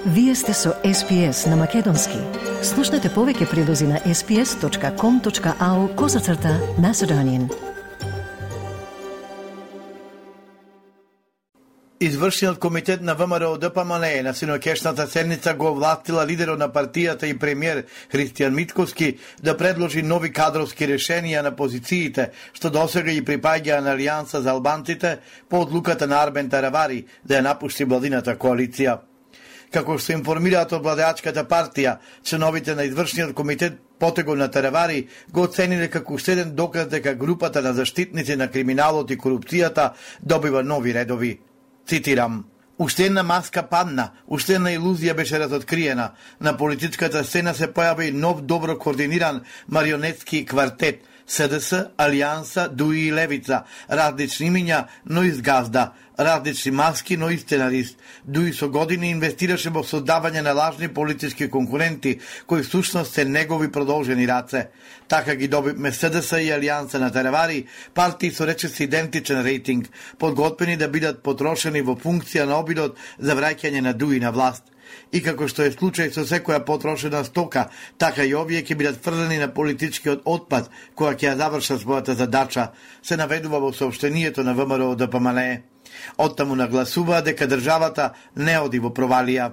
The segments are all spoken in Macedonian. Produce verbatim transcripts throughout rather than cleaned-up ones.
Вие сте со Ес Пи Ес на Македонски. Слушнете повеќе прилози на ес пи ес точка ком точка ау козацрта Macedonian. Извршниот комитет на Вэ Ем Ар О Д П М Л Е на синокешната седница го овластила лидерот на партијата и премиер Христијан Мицкоски да предложи нови кадровски решенија на позициите што досега ги припаѓаа на Алијанса за албанците по одлуката на Арбен Таравари да ја напушти владината коалиција. Како што информираат од владеачката партија, членовите на извршниот комитет потегот на Таравари го оцениле како уште еден доказ дека групата на заштитници на криминалот и корупцијата добива нови редови. Цитирам: "Уште една маска падна, уште една илузија беше разоткриена. На политичката сцена се појави нов добро координиран марионетски квартет, С Д С, Алијанса, Дуи и Левица, различни имиња, но изгазда, различни маски, но и сценарист. Дуи со години инвестираше во создавање на лажни политички конкуренти, кои всушност се негови продолжени раце. Така ги добивме С Д С и Алијанса на Таравари, партии со речиси идентичен рейтинг, подготвени да бидат потрошени во функција на обидот за враќање на Дуи на власт. И како што е случај со секоја потрошена стока, така и овие ќе бидат фрлени на политичкиот отпад, која ќе ја завршат својата задача", се наведува во соопштението на Вэ Ем Ар О Д П М Л Е. Оттаму нагласуваа дека државата не оди во провалија.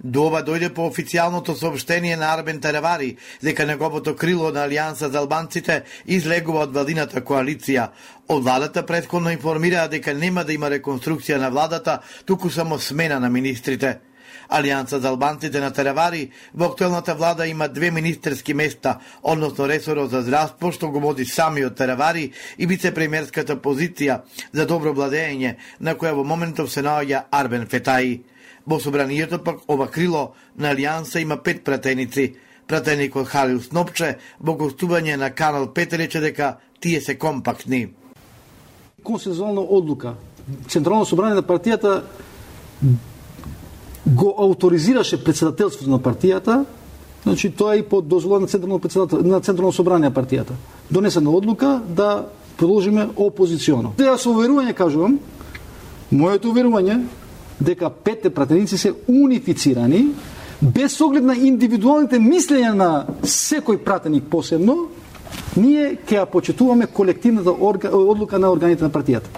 До ова дојде по официјалното соопштение на Арбен Таравари дека неговото крило на Алијанса за албанците излегува од владината коалиција. Од владата претходно информираа дека нема да има реконструкција на владата, туку само смена на министрите. Алијанса за албанците на Таравари во актуелната влада има две министерски места, односно ресорот за здравство што го води самиот Таравари и вице-премиерската позиција за добро владење, на која во моментов се наоѓа Арбен Фетаи. Во собранието пак ова крило на Алијанса има пет пратеници. Пратеникот Халил Снопче во гостување на Канал пет рече дека тие се компактни. Консензуална одлука. Централно собрание на партијата го ауторизираше председателството на партијата, значи тоа и под дозвола на централно председател на централно собрание на партијата. Донесена одлука да продолжиме опозиционо. Ја со уверување кажувам, моето уверување дека петте пратеници се унифицирани без оглед на индивидуалните мислења на секој пратеник посебно, ние ќе ја почитуваме колективната орга, одлука на органите на партијата.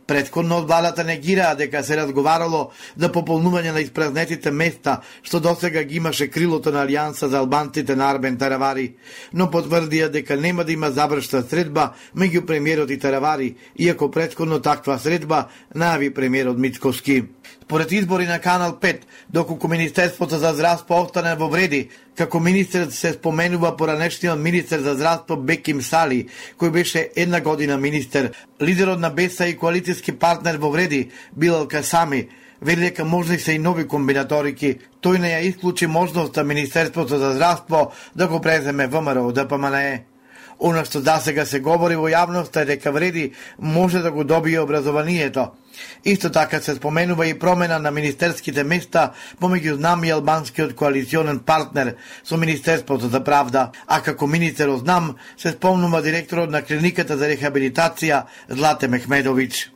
Претходно од владата негираа дека се разговарало за пополнување на испразнетите места што досега ги имаше крилото на Алијанса за албанците на Арбен Таравари, но потврдија дека нема да има завршна средба меѓу премиерот и Таравари, иако претходно таква средба најави премиерот Мицкоски. Според избори на Канал пет, доколку Министерството за здравство остане во вреди, како министерот се споменува поранешниот министер за здравство Беким Сали, кој беше една година министер, лидерот на Беса и коалицијски партнер во вреди Билал Касами, вели дека можни се и нови комбинаторики. Тој не ја исклучи можноста Министерството за здравство да го преземе Вэ Ем Ар О Д П М Л Е. Она што засега се говори во јавноста е дека вреди може да го добие образованието. Исто така се споменува и промена на министерските места помеѓу Знам и албанскиот коалиционен партнер со Министерството за правда, а како министер од Знам се спомнува директорот на клиниката за рехабилитација Злате Мехмедовиќ.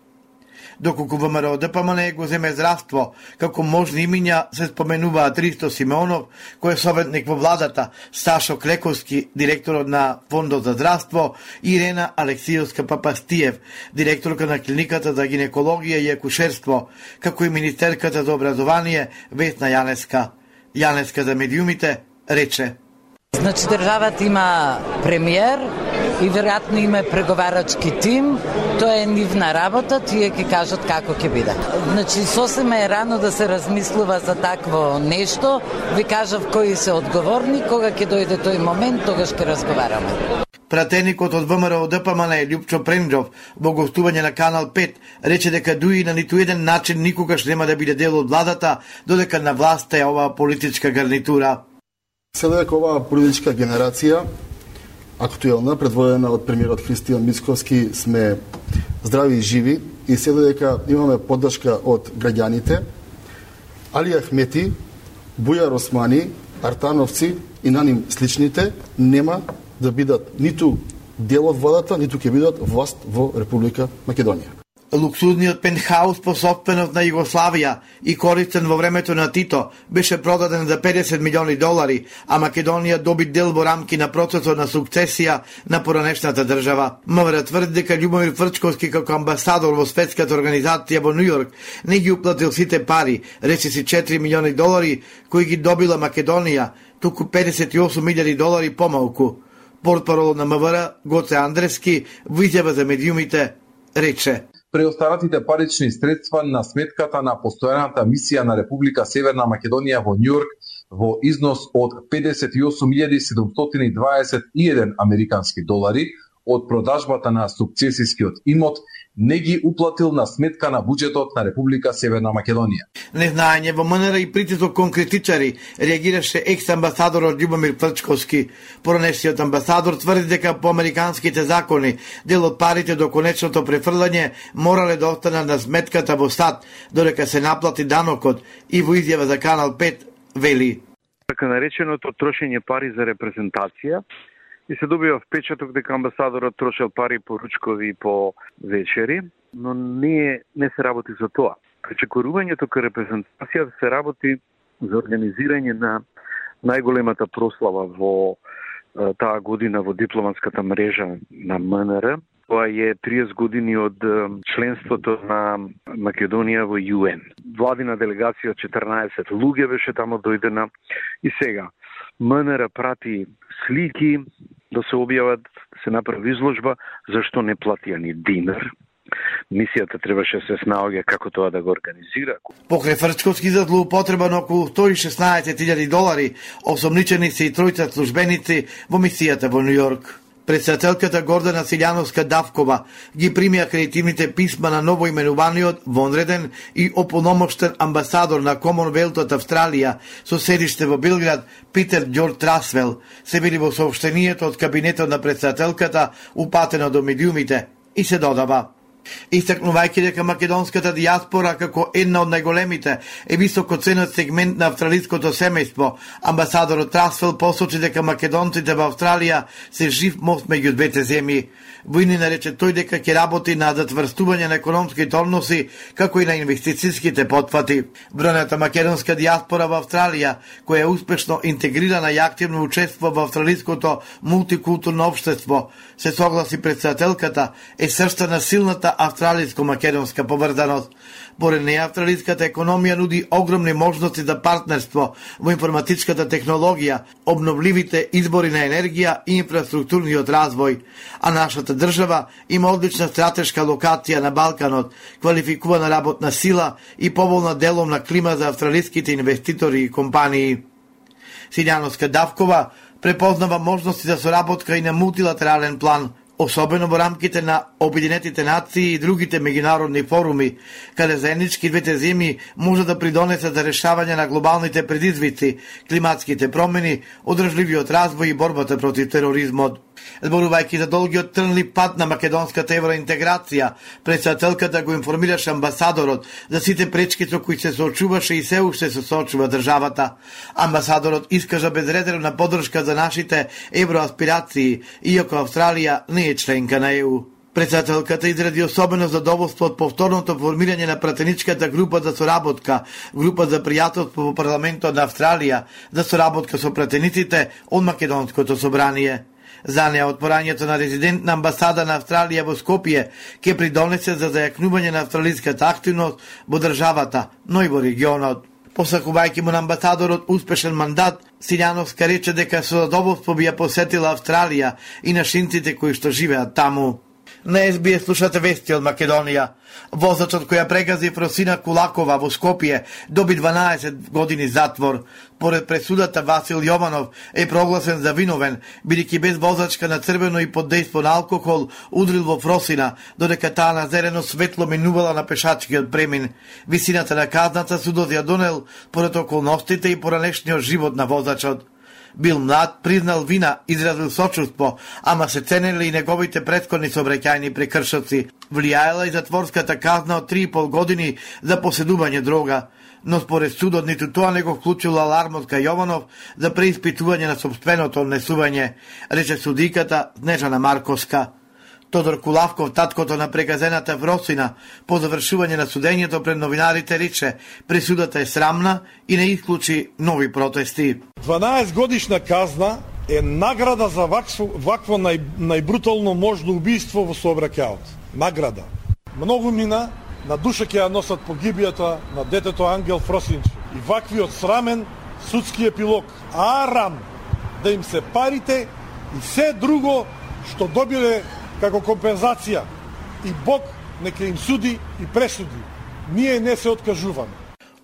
Доколку Вэ Ем Ар О Д П М Л Е го земе здравство, како можни имиња се споменуваат Ристо Симеонов, кој е советник во владата, Сашо Клековски, директорот на Фондот за здравство, и Ирена Алексиевска Папастиев, директорка на клиниката за гинекологија и акушерство, како и министерката за образование Весна Јанеска. Јанеска за медиумите рече: Значи државата има премиер и веројатно има преговарачки тим, тоа е нивна работа, тие ќе кажат како ќе биде. Значи сосема е рано да се размислува за такво нешто, ви кажав кои се одговорни, кога ќе дојде тој момент, тогаш ќе разговараме. Пратеникот од Вэ Ем Ар О Д П М Л Е Љупчо Пренџов во гостување на Канал пет рече дека Дуи на ниту еден начин никогаш нема да биде дел од владата, додека на власт е оваа политичка гарнитура. Се дека оваа политичка генерација актуелна, предводена од премиерот Христијан Мицкоски, сме здрави и живи и се дека имаме поддршка од граѓаните. Али Ахмети, Бујар Османи, Артановци и на ним сличните нема да бидат ниту дел од владата, ниту ќе бидат власт во Република Македонија. Луксузниот пентхаус по собственост на Југославија и користен во времето на Тито беше продаден за педесет милиони долари, а Македонија доби дел во рамки на процесот на сукцесија на поранешната држава. МВР тврди дека Љубомир Фрчковски како амбасадор во светската организација во Њујорк не ги уплатил сите пари, речиси четири милиони долари кои ги добила Македонија, туку педесет и осум илјади долари помалку. Портпарол на МВР Гоце Андрески во изјава за медиумите рече: Преостаратите парични средства на сметката на постојаната мисија на Република Северна Македонија во Њујорк во износ од педесет и осум илјади седумстотини дваесет и еден американски долари од продажбата на сукцесискиот имот не ги уплатил на сметка на буџетот на Република Северна Македонија. Незнаење во МНР и притисок кон критичари реагираше екс-амбасадорот Љубомир Фрчковски. Поранешниот амбасадор тврди дека по американските закони дел од парите до конечното префрлање морале да останат на сметката во САД, додека се наплати данокот, и во изјава за Канал пет вели: Така нареченото трошење пари за репрезентација и се добива впечаток дека амбасадорот трошел пари по ручкови и по вечери, но не, не се работи за тоа. Пречекорувањето кај репрезентација се работи за организирање на најголемата прослава во е, таа година во дипломатската мрежа на МНР. Тоа е триесет години од членството на Македонија во Ю Ен. Владина делегација од четрнаесет луѓе беше тамо дојдена и сега МНР прати слики да се објават, да се направи изложба, зашто не платија ни динар. Мисијата требаше се снаоѓа како тоа да го организира. Покрај Фрчковски за злоупотреба на околу сто и шеснаесет илјади долари, осомничени се и тројца службеници во мисијата во Њујорк. Председателката Гордана Силјановска-Давкова ги прими акредитивните писма на новоименуваниот вонреден и ополномоштен амбасадор на Комонвелтот Австралија со седиште во Белград Питер Ѓорџ Трасвел, се вели во соопштението од кабинетот на председателката упатено до медиумите, и се додава: Истакнувајќи дека македонската дијаспора како една од најголемите е високо ценет сегмент на австралиското семејство, амбасадорот Трасвел посочи дека македонците во Австралија се жив мост меѓу двете земји. Војни нарече тој дека ќе работи на затврстување на економските односи, како и на инвестицијските потфати. Бројната македонска дијаспора во Австралија, која е успешно интегрирана и активно учествува во австралиското мултикултурно општество, се согласи председателката, е срцето на силната австралиско-македонска поврзаност. Поред неја, австралиската економија нуди огромни можности за партнерство во информатичката технологија, обновливите избори на енергија и инфраструктурниот развој, а нашата држава има одлична стратешка локација на Балканот, квалификувана работна сила и поволна деловна клима за австралиските инвеститори и компании. Силјановска-Давкова препознава можности за соработка и на мултилатерален план, особено во рамките на Обединетите нации и другите меѓународни форуми, каде заеднички двете земји може да придонесат за решавање на глобалните предизвици, климатските промени, одржливиот развој и борбата против тероризмот. Зборувајќи за долгиот трнлив пат на македонската евроинтеграција, председателката го информираше амбасадорот за сите пречки со кои се соочуваше и се уште се соочува државата. Амбасадорот искажа безрезервна поддршка за нашите евроаспирации, иако Австралија не е членка на Е У. Председателката изради особено задоволство од повторното формирање на пратеничката група за соработка, група за пријателство во парламентот на Австралија, за соработка со пратениците од Македонското собрание. За неа отпорањето на резидентна амбасада на Австралија во Скопје ќе придонесе за зајакнување на австралиската активност во државата, но и во регионот. Посакувајќи му на амбасадорот успешен мандат, Силјановска рече дека со задоволство би ја посетила Австралија и нашинците кои што живеат таму. На Ес Би Ес слушате вести од Македонија. Возачот која прегази Фросина Кулакова во Скопје доби дванаесет години затвор. Поред пресудата, Васил Јованов е прогласен за виновен, бидејќи без возачка на црвено и под дејство на алкохол удрил во Фросина, додека таа на зелено светло минувала на пешачкиот премин. Висината на казната судот ја донел поред околностите и поранешниот живот на возачот. Бил млад, признал вина, изразил сочувство, ама се ценели и неговите претходни сообраќајни прекршоци. Влијаела и затворската казна од три и пол години за поседување дрога, но според судот ниту тоа не го вклучило алармот кај Јованов за преиспитување на собственото однесување, рече судиката Снежана Марковска. Тодор Кулавков, таткото на преказената Вросина, по завршување на судењето пред новинарите рече, присудата е срамна и не исклучи нови протести. дванаесет годишна казна е награда за вакво, вакво нај, најбрутално можно убиство во сообраќајот. Награда. Многу мина, на душа ќе ја носат погибијата на детето Ангел Фросинче. И ваквиот срамен судски епилог. Арам да им се парите и се друго што добиле како компензација. И Бог нека им суди и пресуди. Ние не се откажуваме.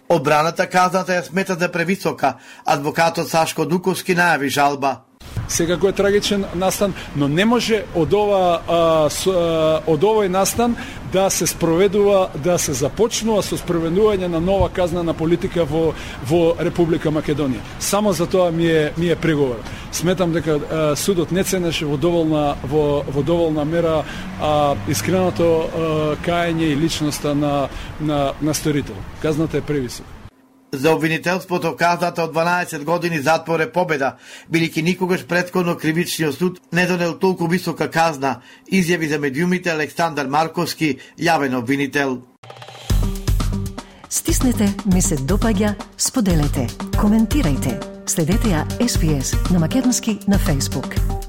Одбраната казната ја смета за превисока. Адвокатот Сашко Дуковски најави жалба. Секако е трагичен настан, но не може од ова а, с, а, од овој настан да се спроведува, да се започнува со спроведување на нова казнена политика во во Република Македонија. Само за тоа ми е ми е преговор. Сметам дека а, судот не ценеше во доволна во во доволна мера а, искреното а, каење и личноста на на на сторител. Казната е превисока. За обвинителството казната од дванаесет години затвор е победа, бидејќи никогаш претходно кривичниот суд не донел толку висока казна, изјави за медиумите Александар Марковски, јавен обвинител. Стиснете, ми се допаѓа, споделете, коментирајте. Следете ја Ес Би Ес на македонски на Facebook.